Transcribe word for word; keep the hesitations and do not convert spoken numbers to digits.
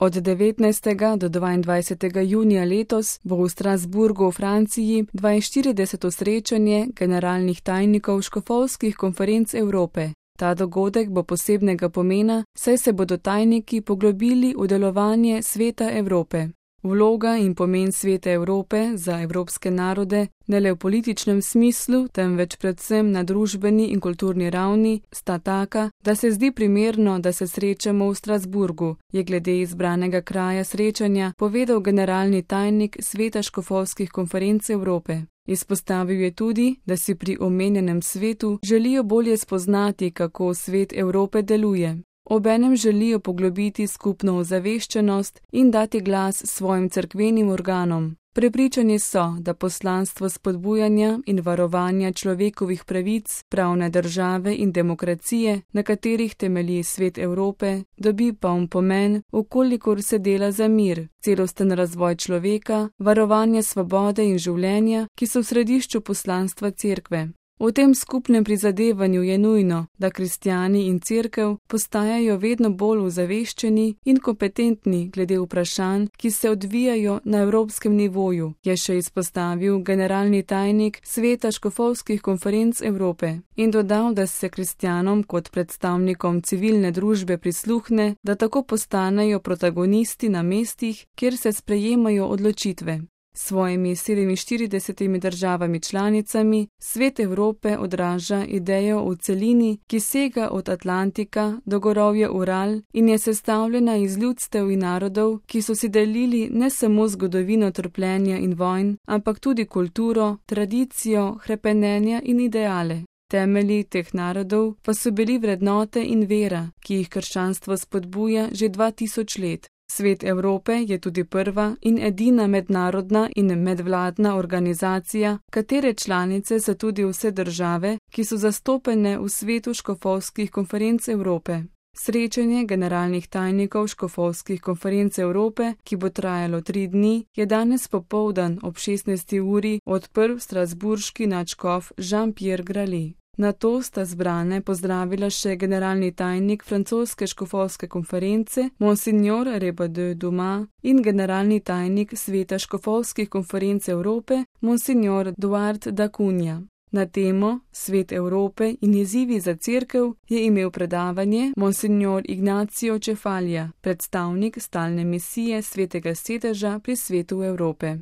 Od devetnajstega do dvaindvajsetega junija letos bo v Strasburgu v Franciji dvainštirideseto srečanje generalnih tajnikov škofovskih konferenc Evrope. Ta dogodek bo posebnega pomena, saj se bodo tajniki poglobili v delovanje Sveta Evrope. Vloga in pomen Sveta Evrope za evropske narode, ne le v političnem smislu, temveč predvsem na družbeni in kulturni ravni, sta taka, da se zdi primerno, da se srečamo v Strasburgu, je glede izbranega kraja srečanja povedal generalni tajnik Sveta škofovskih konferenc Evrope. Izpostavil je tudi, da si pri omenjenem svetu želijo bolje spoznati, kako Svet Evrope deluje. Obenem želijo poglobiti skupno ozaveščenost in dati glas svojim cerkvenim organom. Prepričani so, da poslanstvo spodbujanja in varovanja človekovih pravic, pravne države in demokracije, na katerih temelji Svet Evrope, dobi poln pomen, vkolikor se dela za mir, celosten razvoj človeka, varovanje svobode in življenja, ki so v središču poslanstva cerkve. V tem skupnem prizadevanju je nujno, da kristjani in cerkev postajajo vedno bolj ozaveščeni in kompetentni glede vprašanj, ki se odvijajo na evropskem nivoju, je še izpostavil generalni tajnik Sveta škofovskih konferenc Evrope in dodal, da se kristjanom kot predstavnikom civilne družbe prisluhne, da tako postanejo protagonisti na mestih, kjer se sprejemajo odločitve. S svojimi sedeminštiridesetimi državami članicami Svet Evrope odraža idejo v celini, ki sega od Atlantika do gorovja Ural in je sestavljena iz ljudstev in narodov, ki so si delili ne samo zgodovino trpljenja in vojn, ampak tudi kulturo, tradicijo, hrepenenja in ideale. Temelji teh narodov pa so bili vrednote in vera, ki jih krščanstvo spodbuja že dva tisoč let. Svet Evrope je tudi prva in edina mednarodna in medvladna organizacija, katere članice so tudi vse države, ki so zastopene v svetu škofovskih konferenc Evrope. Srečanje generalnih tajnikov škofovskih konferenc Evrope, ki bo trajalo tri dni, je danes popoldan ob šestnajsti uri odprl strasburški nadškof Jean-Pierre Grali. Na to sta zbrane pozdravila še generalni tajnik francoske škofovske konference Monsignor Rebaudet Dumas in generalni tajnik Sveta škofovskih konferenc Evrope Monsignor Duart da Cunha. Na temo Svet Evrope in izzivi za cerkev je imel predavanje Monsignor Ignacio Cefalija, predstavnik stalne misije Svetega sedeža pri Svetu Evrope.